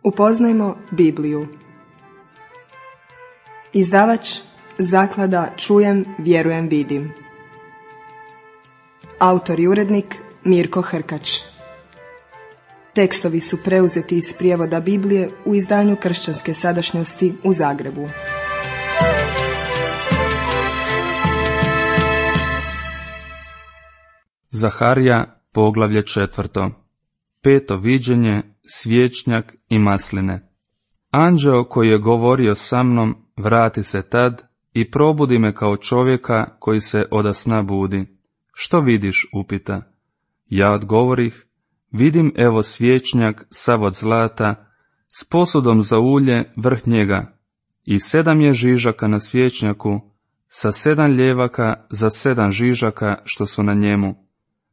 Upoznajmo Bibliju. Izdavač Zaklada Čujem, vjerujem, vidim. Autor i urednik Mirko Hrkač. Tekstovi su preuzeti iz prijevoda Biblije u izdanju Kršćanske sadašnjosti u Zagrebu. Zaharija, poglavlje 4. Peto viđenje, svječnjak i masline. Anđeo koji je govorio sa mnom vrati se tad i probudi me kao čovjeka koji se oda sna budi. Što vidiš, upita. Ja odgovorih, vidim evo svječnjak sav od zlata, s posudom za ulje vrh njega, i 7 je žižaka na svječnjaku, sa 7 ljevaka za 7 žižaka što su na njemu.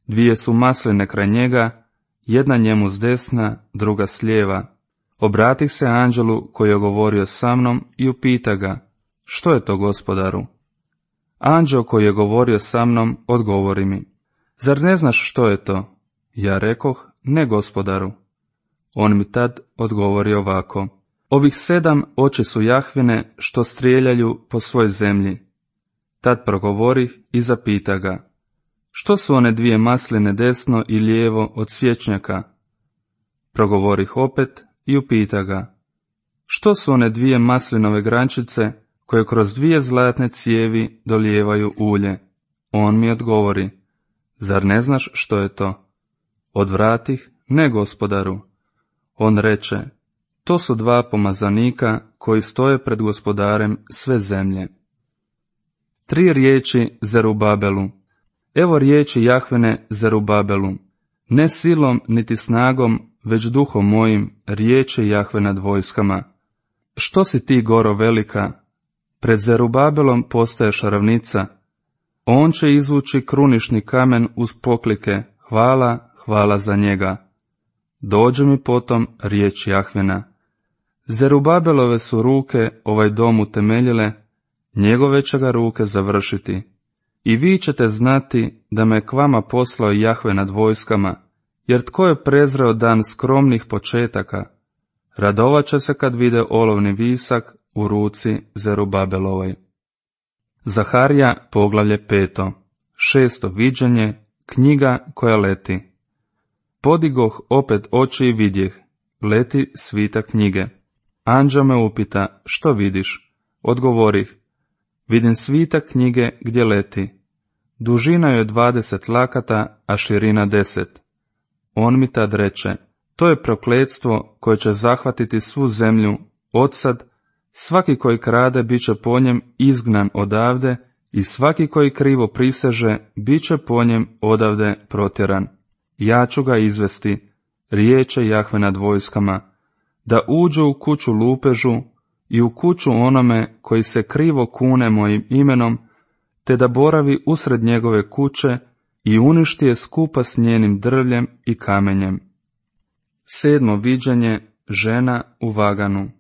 2 su masline kraj njega, jedna njemu s desna, druga s lijeva. Obratih se anđelu koji je govorio sa mnom i upita ga, što je to, gospodaru? Anđeo koji je govorio sa mnom odgovori mi, zar ne znaš što je to? Ja rekoh, ne, gospodaru. On mi tad odgovori ovako, ovih 7 oči su Jahvine što strijeljaju po svoj zemlji. Tad progovorih i zapita ga, što su one 2 masline desno i lijevo od svječnjaka? Progovorih opet i upita ga, što su one 2 maslinove grančice koje kroz 2 zlatne cijevi dolijevaju ulje? On mi odgovori, zar ne znaš što je to? Odvratih, ne, gospodaru. On reče, to su 2 pomazanika koji stoje pred gospodarem sve zemlje. 3 riječi Zerubabelu. Evo riječi Jahvine Zerubabelu, ne silom niti snagom, već duhom mojim, riječi Jahve nad vojskama. Što si ti, goro velika? Pred Zerubabelom postaješ ravnica. On će izvući krunišni kamen uz poklike, hvala, hvala za njega. Dođe mi potom riječ Jahvina. Zerubabelove su ruke ovaj dom utemeljile, njegove će ga ruke završiti. I vi ćete znati da me k vama poslao Jahve nad vojskama, jer tko je prezreo dan skromnih početaka, radovat će se kad vide olovni visak u ruci Zerubabelovoj. Zaharija, poglavlje 5. 6. viđenje, knjiga koja leti. Podigoh opet oči i vidjeh, leti svita knjige. Anđeo me upita, što vidiš? Odgovorih, vidim svita knjige gdje leti. Dužina je 20 lakata, a širina 10. On mi tad reče, to je prokletstvo koje će zahvatiti svu zemlju, odsad, svaki koji krade bit će po njem izgnan odavde i svaki koji krivo priseže bit će po njem odavde protjeran. Ja ću ga izvesti, riječe Jahve nad vojskama, da uđe u kuću lupežu i u kuću onome koji se krivo kune mojim imenom, te da boravi usred njegove kuće i uništi je skupa s njenim drvljem i kamenjem. 7. viđenje, žena u vaganu.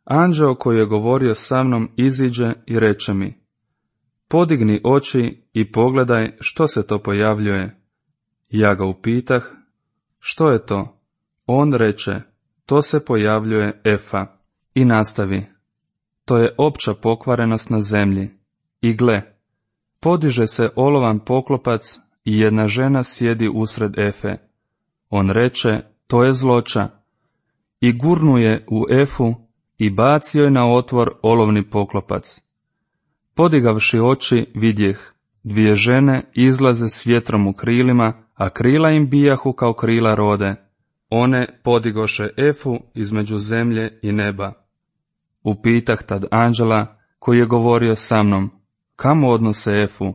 Anđeo koji je govorio sa mnom iziđe i reče mi, podigni oči i pogledaj što se to pojavljuje. Ja ga upitah, što je to? On reče, to se pojavljuje Efa. I nastavi, to je opća pokvarenost na zemlji. I gle, podiže se olovan poklopac i jedna žena sjedi usred Efe. On reče, to je zloća. I gurnuje u Efu i bacio je na otvor olovni poklopac. Podigavši oči vidjeh, 2 žene izlaze s vjetrom u krilima, a krila im bijahu kao krila rode. One podigoše Efu između zemlje i neba. Upitah tad anđela koji je govorio sa mnom, kamo odnose Efu?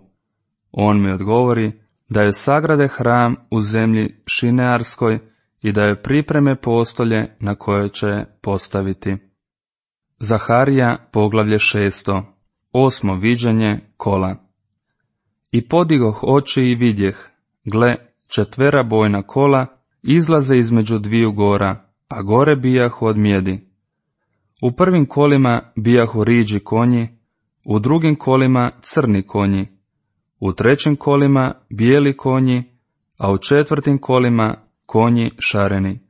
On mi odgovori da je sagrade hram u zemlji Šinearskoj i da je pripreme postolje na koje će postaviti. Zaharija, poglavlje 6. 8. viđenje, kola. I podigoh oči i vidjeh, gle, 4 bojna kola izlaze između 2 gora, a gore bijahu od mjedi. U prvim kolima bijahu riđi konji, u drugim kolima crni konji, u trećim kolima bijeli konji, a u 4. kolima konji šareni.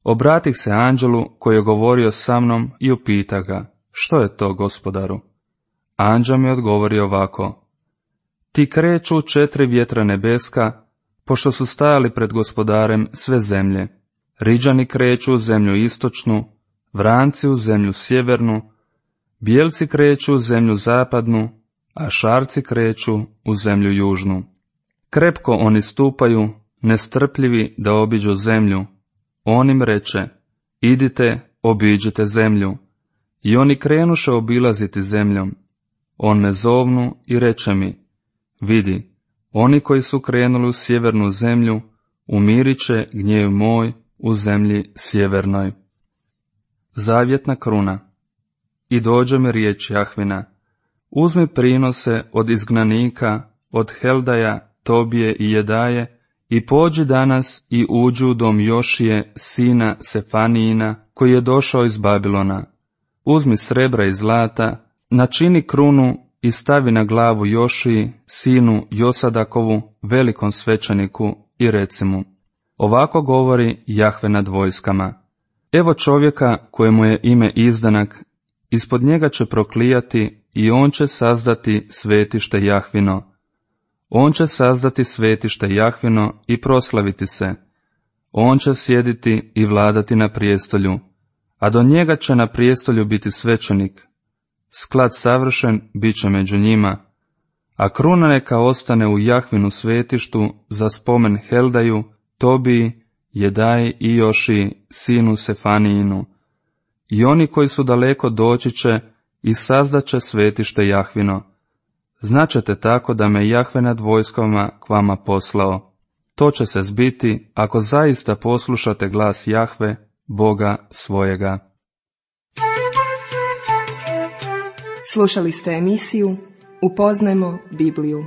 Obratih se anđelu koji je govorio sa mnom i upita ga, što je to, gospodaru? Anđel mi odgovori ovako, ti kreću 4 vjetra nebeska, pošto su stajali pred gospodarem sve zemlje. Riđani kreću u zemlju istočnu, vranci u zemlju sjevernu, bijelci kreću u zemlju zapadnu, a šarci kreću u zemlju južnu. Krepko oni stupaju, nestrpljivi da obiđu zemlju. On im reče, idite, obiđite zemlju. I oni krenuše obilaziti zemljom. On me zovnu i reče mi, vidi, oni koji su krenuli u sjevernu zemlju, umirit će gnjev moj u zemlji sjevernoj. Zavjetna kruna. I dođe mi riječ Jahvina, uzmi prinose od izgnanika, od Heldaja, Tobije i Jedaje, i pođi danas i uđi u dom Jošije, sina Sefanijina, koji je došao iz Babilona. Uzmi srebra i zlata, načini krunu i stavi na glavu Jošiji, sinu Josadakovu, velikom svećeniku, i reci mu, ovako govori Jahve nad vojskama. Evo čovjeka kojemu je ime Izdanak, ispod njega će proklijati i on će sazdati svetište Jahvino. On će sazdati svetište Jahvino i proslaviti se. On će sjediti i vladati na prijestolju, a do njega će na prijestolju biti svećenik. Sklad savršen bit će među njima, a kruna neka ostane u Jahvinu svetištu za spomen Heldaju, Tobiji, Jedaji i Jošiji, sinu Sefanijinu. I oni koji su daleko doći će i sazdaće svetište Jahvino. Značete tako da me Jahve nad vojskama k vama poslao. To će se zbiti ako zaista poslušate glas Jahve, Boga svojega. Slušali ste emisiju Upoznajmo Bibliju.